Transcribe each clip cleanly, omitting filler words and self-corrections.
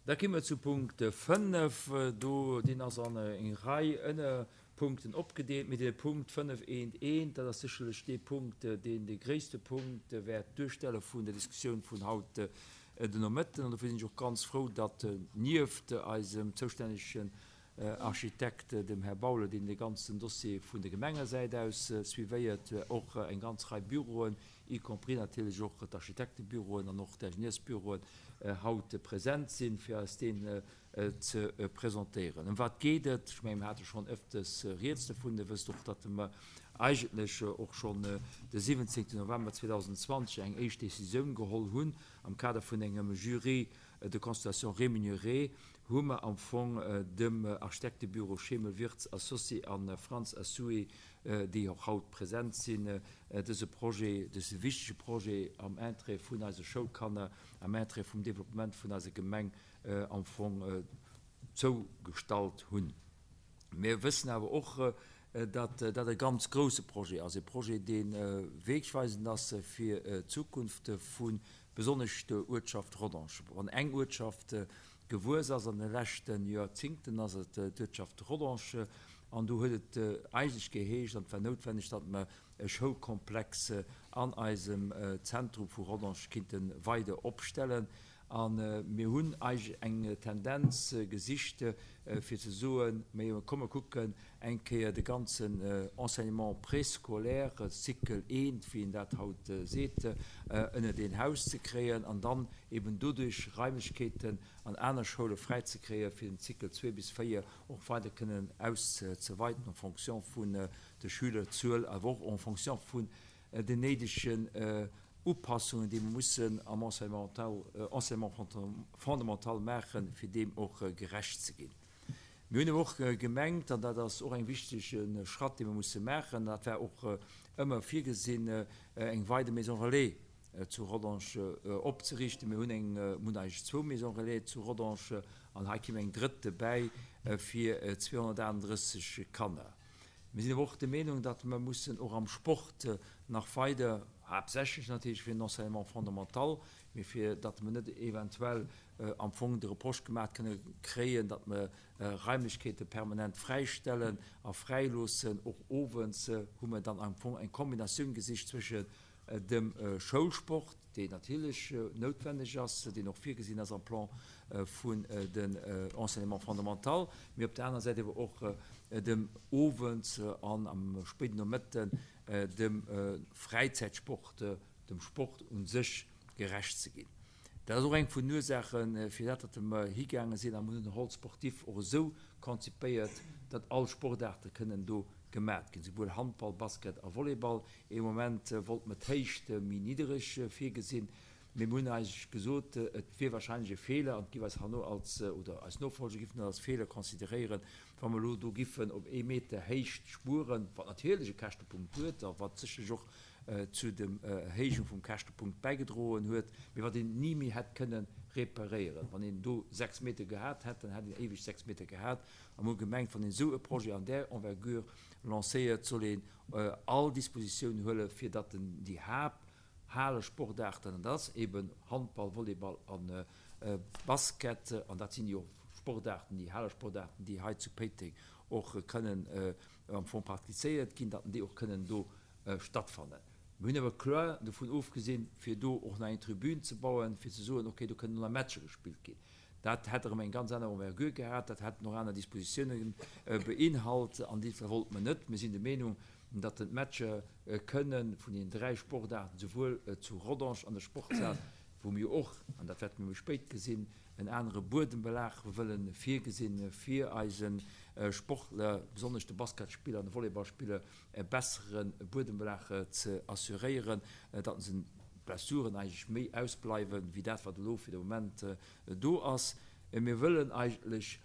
Da ki mer zu Punkt 5. Do, deen ass an eng Rei Ënnerpunkten opgedeelt. Mee de Punkt 5 eent eent, dat ass sécherlech dee Punkt, deen de gréisste Punkt wäert duerstelle vun der Diskussioun vun haut den Nomëtten. An dofir sinn ech och ganz frou, datt nieft eisem zoustännegen Architekt, dem Här Baule, deen de ganzen Dossier vun der Gemengesäit aus suivéiert, och eng ganz Rei Büroen, y compris natierlech och d'Architektebüroen an och d'Ingenieursbüroen, haut present sinn, fir eis deen ze presentéieren. Ëm wat geet et? Ech mengen, mir hate schonn ëfters rieds dovun. Dir wësst och, datt mer eigentlech och schonn de 17 November 2020 eng éischt Décisioun geholl hunn am Kader vun engem Jury de consultation rémunéré, hu mer am Fong dem Architektebüro Schemel Wirtz Associés a Frantz Assoué, déi och haut present sinn, dëse Projet, dëse wichtege Projet am Interêt vun eise Schoulkanner, am Interêt vum Développement vun eiser Gemeng am Fong zougestallt hunn. Mir wëssen awer och, datt dat e ganz grouse Projet ass, e Projet, dee wegweisend ass fir d'Zukunft vu besonnesch der Uertschaft Rodange. Wann eng Uertschaft gewuess ass an de leschte Joerzingten, ass et d'Uertschaft Rodange. An do huet et eigentlech geheescht, an et war noutwenneg, datt mer e Schoulkomplex an eisem Zentrum vu Rodange kinnte weider opstellen. A mir hunn eigentlech eng Tendenz gesicht, fir ze soen, Mir komme kucken eng Kéier de ganzen Enseignement préscolaire, Cycle I, wéi een dat haut seet, ënnert een Haus ze kréien an dann eben doduerch Raimlechkeeten an aner Schoule fräizekréien, fir den Cycle 2 bis 4 och weider kënnen auszeweiten en fonction vun der Schülerzuel, awer och en fonction vun den néidegen Upassungen, déi mer mussen am Enseignement fondamental maachen, fir deem och gerecht ze ginn. Mir hunn awer och gemengt, an dat ass och eng wichtege Schratt, dee mer musse maachen, dat war och ëmmer virgesinn, eng weider Maison relais zu Rodange opzeriichten. Mir hunn eng, mir hunn eigentlech zwou Maisons relais zu Rodange an hei kéim eng drëtt dobäi fir 238 Kanner. Mir sinn awer och der Meenung, datt mer mussen och am Sport nach weider, haaptsächlech natierlech fir den Enseignement fondamental, mee fir datt mer net eventuell am Fong de Reproche gemaach kënne kréien, datt mer Raimlechkeete permanent fräistellen a fräiloossen, och owends, hu mer dann am Fong eng Kombinatioun gesicht zwëschen dem Schoulsport, deen natierlech noutwenneg ass, deen och virgesinn ass am Plan vun den Enseignement fondamental, mee op der anerer Säit awer och dem Owends an am spéiden Nomëtten dem Fräizäitsport, dem Sport u sech gerecht ze ginn. Dat ass och eng vun den Ursaachen, firwat datt mer higaange sinn a mer hunn den Hall sportif och esou konzipéiert, datt all Sportaarte kënnen do gemat ginn, souwuel Handball, Basket a Volleyball. Ee Moment wollt mer d'Héicht méi niddereg virgesinn, mee mer hunn eigentlech gesot, et wier wahrscheinlech e Feeler an et giff eis herno als, oder eis Nofolger giffen dat als Feeler consideréieren, wa mer elo do giffen op ee Meter Héicht spueren, wat natierlech e Käschtepunkt huet a wat sécherlech och zu dem Erhéijung vum Käschtepunkt bäigedroen huet, mee wat een ni méi hätt kënne reparéieren. Wann een do 6 Meter gehat hätt, dann hätt een éiweg 6 Meter gehat. A mir hu gemengt, wann een esou e Projet an där Envergure lancéiert, soll een all Dispositioun huelen, fir datt en déi Haapthalesportaarten, an dat ass eeben Handball, Volleyball a Basket, an dat sinn jo Sportaarten, déi Halesportaarten, déi hei zu Péiteng och kënnen am Fong praktizéiert ginn, datt déi och kënnen do stattfannen. Mir hunn awer kloer dovun ofgesinn, fir do och nach eng Tribün ze bauen, fir ze soen, okay, do kënnen nach Matcher gespillt ginn. Dat hätt erëm eng ganz aner Envergure gehat, dat hätt nach aner Dispositiounen beinhalt an déi wollte mer net. Mir sinn der Meenung, datt d'Matcher kënnen vun deenen 3 Sportaarten, souwuel zu Rodange an der Sportshal, wou mir och, an dat wäerte mir méi spéit gesinn, en anere Buedembelag wëlle virgesinn, fir eise Sportler, besonnesch de Basketspiller an de Volleyballspiller, e bessere Buedembelag ze assuréieren, datt se d'Blessuren eigentlech méi ausbleiwen, wéi dat, wat elo fir de Moment do ass. Mir wëllen eigentlech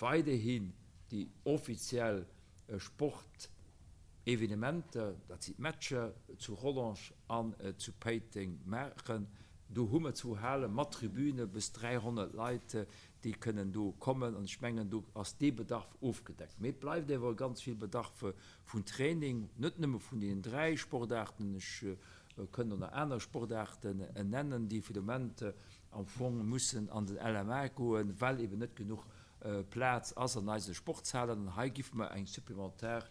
weiderhin déi offiziell Sportevenementer, dat sinn d'Matcher, zu Rodange an zu Péiteng maachen. Do hu mer zwou Hale mat Tribüne bis 300 Leit, déi kënnen do kommen an ech mengen, do ass dee Bedarf ofgedeckt. Mee et bleift awer ganz vill Bedarf vun Training, net nëmme vun deenen 3 Sportaarten, ech kënnt och nach aner Sportaarten nennen, déi fir de Moment am. am Fong mussen an den LMA goen, well eben net genuch Plaz ass an eise Sportshalen. An hei giffe mer eng supplementar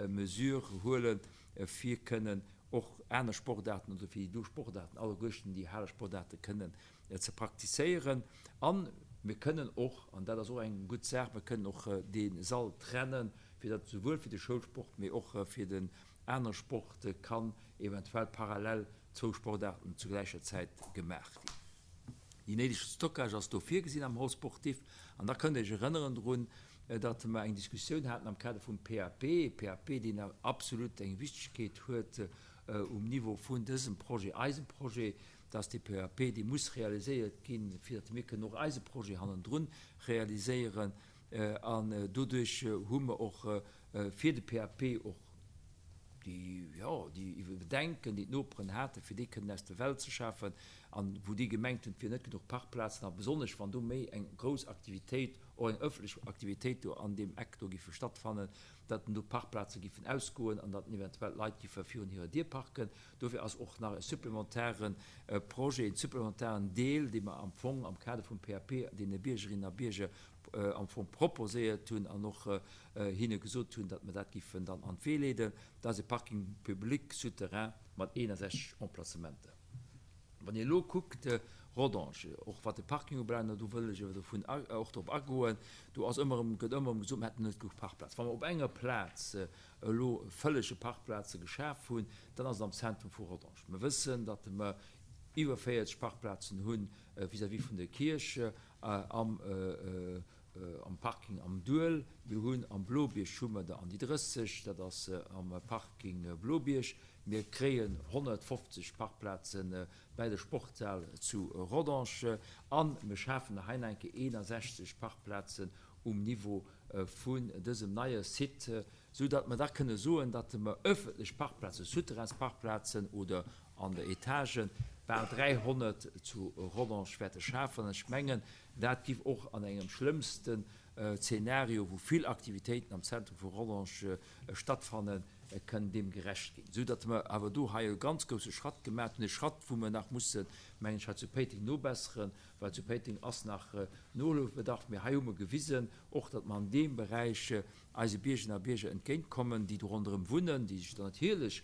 Mesure huelen, fir kënnen och aner Sportaarten oder fir déi do Sportaarten alleguerten, déi Halesportaarte kënnen ze praktizéieren. A mir kënnen och, an dat ass och eng gutt Saach, mir kënnen och dee Sall trennen, fir datt souwuel fir de Schoulsport, mee och fir den anere Sport kann eventuell parallel zwou Sportaarten zu gläicher Zäit gemaach ginn. Déi néideg Stockage ass do virgesinn am Hall sportif. An da kënnt Der Iech erënneren drun, datt mer eng Diskussioun haten am Kader vum PAP, e PAP, deen absolut eng Wichtigkeet huet um Niveau vun dësem Projet, eisem Projet, datt dee PAP, dee muss realiséiert ginn, fir datt mir kënnen och eise Projet hannendrun realiséieren. An doduerch hu mer och fir de PAP och déi, jo, déi Bedenken, déi d'Noperen haten, fir déi kënnen aus der Welt ze schafen, an wou déi gemengt hunn, et wier net genuch Parkplazen, a besonnesch wann do méi eng grouss Aktivitéit, och eng ëffentlech Aktivitéit do an deem Eck do giffe stattfannen, datt do d'Parkplaze giffen ausgoen an datt eventuell d'Leit giffe virun hirer Dier parken. Dofir ass och nach e supplementare Projet, en supplementaren Deel, dee mer am Fong am Kader vum PAP deene Biergerinnen a Bierger am Fong proposéiert hunn an och hinne gesot hunn, datt mer dat giffen dann an d'Wee leeden, dat ass e Parking public souterrain mat 61 Emplacementer. Wann een elo kuckt, Rodange, och wat de Parking ubelaangt, an do wëll ech awer dovun och drop agoen, do ass ëmmer erëm, gëtt ëmmer erëm gesot, mer hätten net genuch Parkplaz. Wa mer op enger Plaz elo vëllege Parkplaze geschaf hunn, dann ass et am Zentrum vu Rodange. Mer wëssen, datt mer iwwer 40 Parkplazen hu vis-à-vis vun der Kierch am am Parking am Duel. Mir hunn am Blobierg hu mer der an déi 30, dat ass am Parking Blobierg. Mir kréien 150 Parkplaze bäi der Sportshal zu Rodange a mir schafen der hei nach eng Kéier 61 Parkplazen um Niveau vun dësem neie Site, sou datt mer da kënne soen, datt mer öffentlech Parkplazen, Souterrainsparkplazen oder an der Etage, bal 300 zu Rodange wäerte schafen. An ech mengen, dat giff och an engem schlëmmsten Zeenario, wou vill Aktivitéiten am Zentrum vu Rodange stattfannen, kënnen deem gerecht ginn. Esou datt mer awer do hei e ganz grousse Schratt gemaat hunn, e Schratt, wou mer nach mussen, mengen ech, hei zu Péiteng nobesseren, well zu Péiteng ass nach Nohëlfebedarf. Mee hei hu mer gewisen och, datt mer an deem Beräich eise Biergerinnen a Bierger entgéintkommen, déi do ronderëm wunnen, déi sech dann natierlech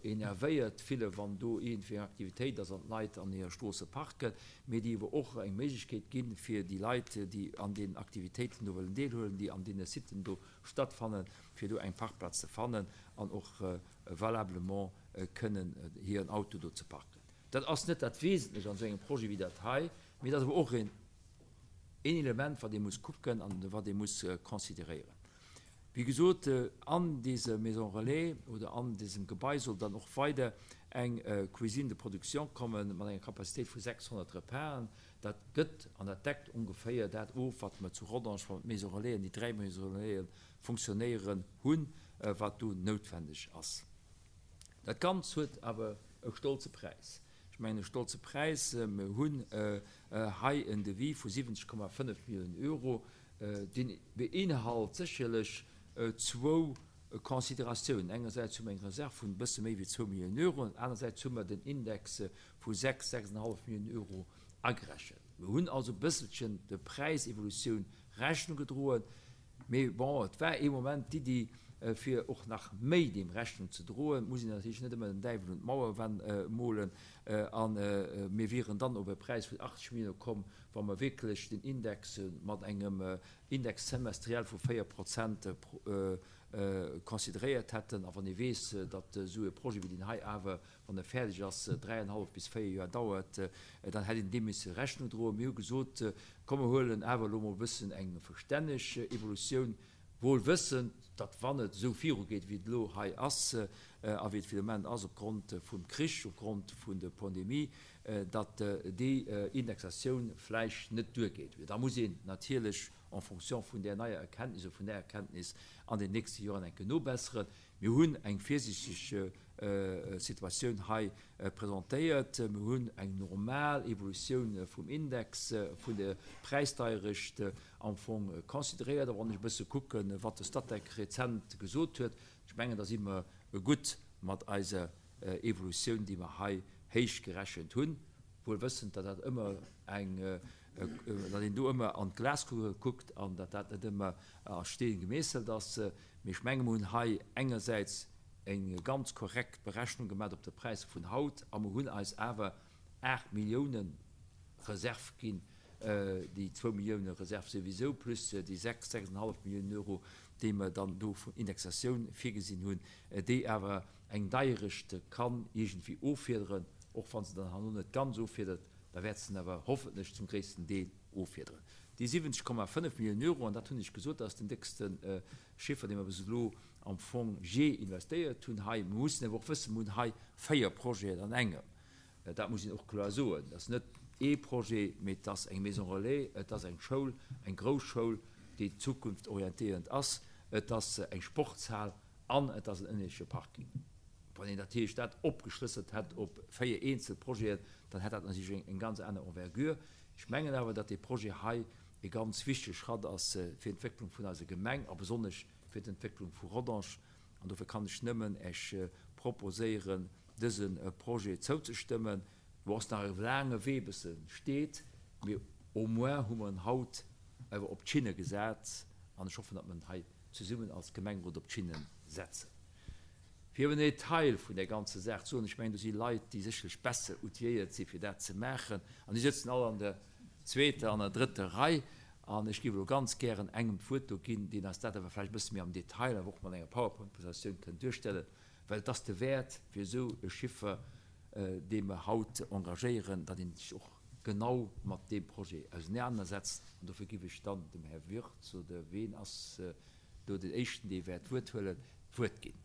enervéiert fillen, wann do iergendwéi eng Aktivitéit ass an d'Leit an hire Stroosse parken, mee déi ewer och eng Méiglechkeet ginn, fir déi Leit, déi an deenen Aktivitéiten do wëllen deelhuelen, déi an deene Siten do stattfannen, fir do eng Parkplaz ze fannen an och valablement kënnen hiren Auto do ze parken. Dat ass net dat Wesentlech an esou engem Projet wéi dat hei, mee et ass awer och een Element, wat ee muss kucken an wat ee muss consideréieren. Wéi gesot, an dese Maison relais oder an dësem Gebai soll dann och weider eng Cuisine de production komme mat enger Capacitéit vu 600 Repasen. Dat gëtt an dat deckt ongeféier dat of, wat mer zu Rodange, wann d'Maison relaisen, déi dräi Maison relaisen funktionéieren, hunn, wat do noutwendeg ass. Dat Ganz huet awer e stolze Präis. Ech mengen e stolze Präis. Mir hunn hei en Devis vu 70,5 Milliounen Euro. Deen beinhalt sécherlech zwou Consideratiounen. Engersäits hu mer eng Reserv vun e bësse méi wéi zwou Milliounen Euro an anersäits hu mer den Index vu 6, 6,5 Milliounen Euro agerechent. Mir hunn also e bësselchen der Präisevolutioun Rechnung gedroen. Mee bon, et war ee Moment d'Iddi, fir och nach méi deem Rechnung ze droen. Et muss een natierlech net ëmmer den Däiwel un d'Mauer molen. A mir wieren dann op e Präis vun 80 Millioune komm, wa mer wierklech den Index mat engem Index semestriel vu 4 Prozent consideréiert hätten. A wann ee weess, datt esou e Projet wéi deen hei awer, wann e fäerdeg ass, dräienhallef bis véier Joer dauert, dann hätt een deem misse Rechnung droen. Mir hu gesot, komm mer huelen awer elo mol e bëssen eng verstänneg Evolutioun, wuel wëssend, datt wann et esou virugeet, wéi et elo hei ass a wéi et fir de Moment ass opgrond vum Krich, opgrond vun der Pandemie, datt déi Indexatioun vläicht net duergeet. Da muss een natierlech en fonction vun där neier Erkenntnis oder vun där Erkenntnis an den nächste Joren eng Kéier nobesseren. Mir hunn eng virsiichteg Situatioun hei presentéiert. Mir hunn eng normal Evolutioun vum Index, vun der Präisdeierecht am Fong consideréiert. A wann ech e bësse kucken, wat de Statec rezent gesot huet, ech mengen, da si mer gutt mat eiser Evolutioun, déi mer hei héich gerechent hunn. Wuel wëssend, datt dat ëmmer eng, datt een do ëmmer an d'Glaskugel kuckt an datt dat net ëmmer a Steen gemeesselt ass. Mee ech menge mer hunn hei engersäits eng ganz korrekt Berechnung gemat op de Präisser vun haut a mer hunn eis awer 8 Milliounen Reserv ginn, déi zwou Millioune Reserv souwisou, plus déi 6, 6,5 Milliounen Euro, déi mer dann do vun Indexatioun virgesinn hunn, déi awer eng Deierecht kann iergendwéi offiederen, och wa se dann herno net ganz offiedert, da wäert se en awer hoffentlech zum gréissten Deel offiederen. Déi 70,5 Milliounen Euro, an dat hunn ech gesot, dat ass den déckste Chiffer, dee mer bis elo am Fong jee investéiert hunn hei. Mer mussen awer och wëssen, mer hunn hei véier Projeten an engem. Dat muss een och kloer soen. Et ass net ee Projet, mee et ass eng Maison relais, et ass eng Schoul, eng grouss Schoul, déi zukunftsorientéierend ass, et ass eng Sportshal an et ass en ënnersche Parking. Wann een natierlech dat opgeschlësselt hätt op 4 eenzel Projeten, dann hätt dat natierlech eng ganz aner Envergure. Ech mengen awer, datt dee Projet hei e ganz wichtege Schratt ass fir d'Entwécklung vun eiser Gemeng a besonnesch fir d'Entwécklung vu Rodange. An dofir kann ech nëmmen Äech proposéieren, dëse Projet zouzestëmmen. Do ass nach e laange Wee bis e steet, mee au moins hu mer en haut awer op d'Schinne gesat an ech hoffen, datt mer en hei zesummen als Gemengerot op d'Schinne setzen. Fir iwwer den Detail vun där ganzer Saach ze soen, ech mengen, do si Leit, déi sécherlech besser outilléiert si fir dat ze maachen an déi sëtzen all an der zweeter an der drëtter Rei an ech géif elo ganz gären engem d'Wuert do ginn, deen eis dat awer vläicht e bësse méi am Detail, awer och mat enger PowerPoint-Presentatioun kënnt duerstellen. Well et ass de Wäert fir esou e Chiffer, dee mer haut engagéieren, datt een sech och genau mat deem Projet ausenanersetzt. An dofir giff ech dann dem Här Wirtz, oder ween ass do den Éischten, dee wäert d'Wuert huelen, d'Wuert ginn.